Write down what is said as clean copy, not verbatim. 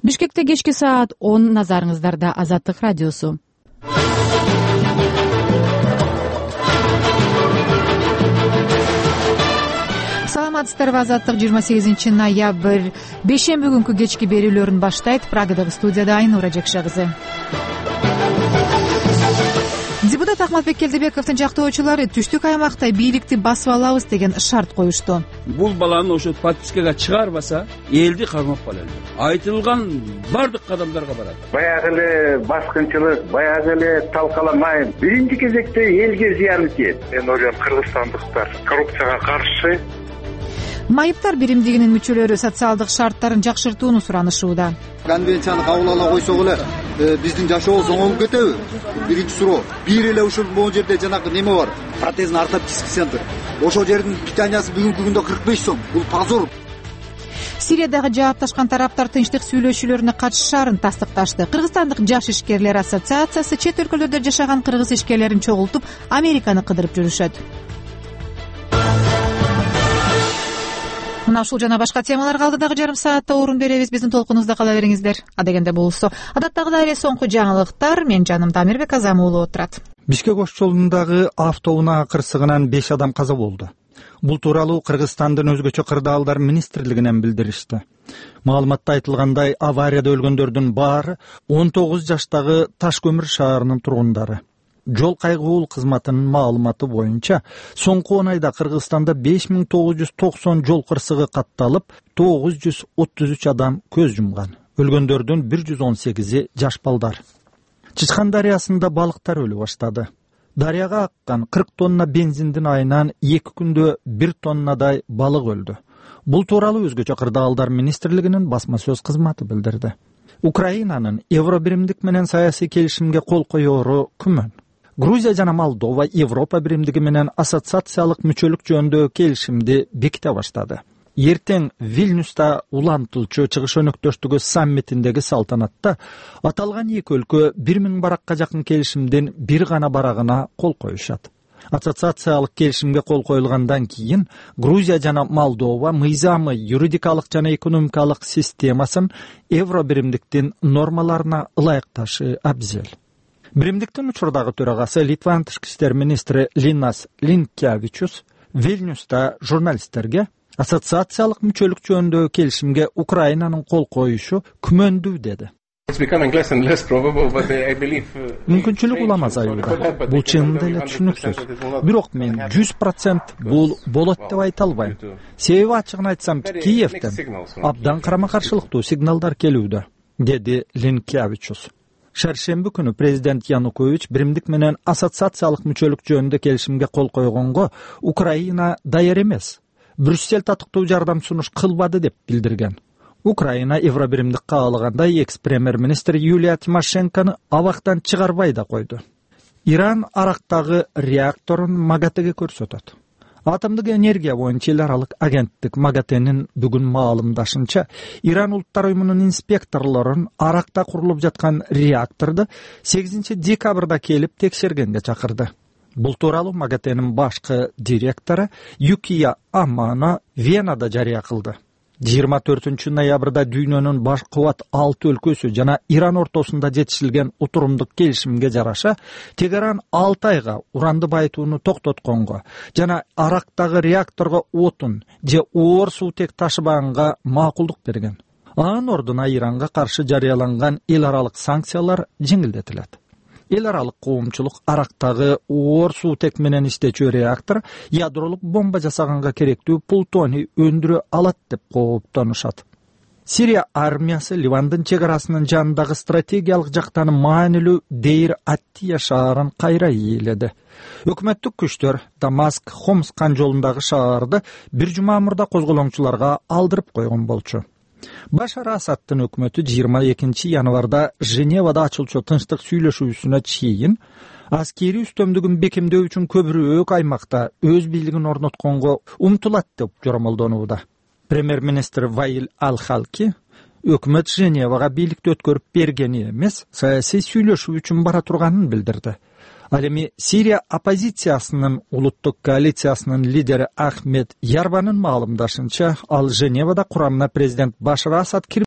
Бишкекте кечки саат 10, назарыңыздарда Азаттык радиосу. Саламатсыздарбы, Азаттык 28 ноябрь бейшемби күнкү кечки берүүлөрүн баштайт. Прагадагы студияда Айнура Жекше кызы. Депутат Ахматбек Келдебековдун жактоочулары түштүк аймакта бийликти басып алабыз деген шарт коюшту. Бул баланы ошо подпискага чыгарбаса, элди кармап калат. Айтылган бардык кадамдарга барат. Баягы эле баскынчылык, баягы эле талкаламай, биринчи кезекте элге зыяны тиет. Мен ойлойм, кыргызстандыктар коррупцияга каршы. Майыптар биримдигинин мүчөлөрү социалдык шарттарын жакшыртууну суранышууда. Конвенцияны кабыл ала койсок эле биздин жашообуз оңолуп кетеби? Биринчи суроо. Бир эле ушул могу жерде жанагы неме бар. Протезный ортопедический центр. Ошол жердин питаниясы бүгүнкү күндө 45 сом. Бул позор. Сириядагы жаапташкан тараптар тынчтык сүйлөшүүлөрүнө катышаарын тастыкташты. Кыргызстандык жаш ишкерлер ассоциациясы чет өлкөлөрдө жашаган кыргыз ишкерлерин чогултуп, Американы кыдырып жүрүшөт. Мына ушул жана башка темаларга алдыдагы жарым саатта орун беребиз. Биздин толкунубузда кала бериңиздер. Адегенде болсо, адаттагыдай эле соңку жаңылыктар мен жанымда Амирбек Азам уулу отурат. Бишкек ош жолундагы автоунаа кырсыгынан 5 адам каза болду. Бул тууралуу Кыргызстандын өзгөчө кырдаалдар министрлигинен билдиришти. Маалыматта айтылгандай, аварияда өлгөндөрдүн баары 19 жаштагы Таш көмүр шаарынын тургундары. Жол кайгуул кызматынын маалыматы боюнча, соңку 10 айда Кыргызстанда 5990 жол кырсыгы катталып, 933 адам көз жумган. Өлгөндөрдүн 118и жаш балдар. Чычкан дарыясында балыктар өлү баштады. Дарыяга аккан 40 тонна бензиндин айынан 2 күндө 1 тоннадай балык өлдү. Бул тууралуу өзгөчө кырдаалдар министрлигинин басма сөз кызматы билдирди. Украинанын Евробиримдик менен саясий келишимге кол коёру күмөн. Грузия жана Молдова Европа биримдиги менен ассоциациялык мүчөлүк жөнүндөгү келишимди беките баштады. Эртең Вильнюста улантылчу чыгыш өнөктөштүгү саммитиндеги салтанатта аталган эки өлкө 1000 баракка жакын келишимдин бир гана барагына кол коюшат. Ассоциациялык келишимге кол коюлгандан кийин Грузия жана Молдова мыйзамы, юридикалык жана экономикалык системасын Евробиримдиктин нормаларына ылайыкташы абзел. Биримдиктин учурдагы төрагасы Литванын тышкы иштер министри Линас Линкевичус Вильнюста журналисттерге ассоциациялык мүчөлүк жөнүндөгү келишимге Украинанын кол коюшу күмөндүү деди. Мүмкүнчүлүк улам азаюуда. Бул чынында эле түшүнүксүз. Бирок мен 100% бул болот деп айта албайм. Себеби ачыгын айтсам, Киевден абдан карама каршылыктуу сигналдар келүүдө, деди Линкевичус. Шаршемби күнү президент Янукович биримдик менен ассоциациялык мүчөлүк жөнүндө келишимге кол койгонго Украина даяр эмес. Брюссель татыктуу жардам сунуш кылбады деп билдирген. Украина Евробиримдик каалагандай экс-премьер-министр Юлия Тимошенкону абактан чыгарбай да койду. Иран Арактагы реакторун МАГАТЭге көрсөтөт. Атомдук энергия боюнча эл аралык агенттик МАГАТЭнин бүгүн маалымдашынча, Иран улуттар уюмунун инспекторлорун Аракта курулуп жаткан реакторду 8 декабрда келип текшергенге чакырды. Бул тууралуу МАГАТЭнин башкы директору Юкия Амано Венада жарыя кылды. 24 ноябрда дүйнөнүн баш кубат 6 өлкөсү жана Иран ортосунда жетишилген утурумдук келишимге жараша Тегеран 6 айга уранды байытууну токтотконго жана Арактагы реакторго отун же оор суутек ташыбаганга макулдук берген. Анын ордуна Иранга каршы жарыяланган эл аралык санкциялар жеңилдетилет. Эл аралык коомчулук Арактагы оор суутек менен иштечү реактор ядролук бомба жасаганга керектүү плутоний өндүрө алат деп кооптонушат. Сирия армиясы Ливандын чек арасынын жанындагы стратегиялык жактан маанилүү Дейр Аттия шаарын кайра ээледи. Өкмөттүк күчтөр Дамаск Хомс кан жолундагы шаарды бир жума мурда козголоңчуларга алдырып койгон болчу. Башар Асадтын өкмөтү 22 январда Женевада ачылчу тынчтык сүйлөшүүсүнө чейин аскери үстөмдүгүн бекемдөө үчүн көбүрөөк аймакта өз бийлигин орнотконго умтулат деп жоромолдонууда. Премьер-министр Ваил Ал-Халки өкмөт Женевага бийликти өткөрүп бергени эмес, саясий сүйлөшүү үчүн бара турганын билдирди. Ал эми Сирия оппозициясынын улуттук коалициясынын лидери Ахмед Ярбанын маалымдашынча, ал Женевада курамына президент Башар Асад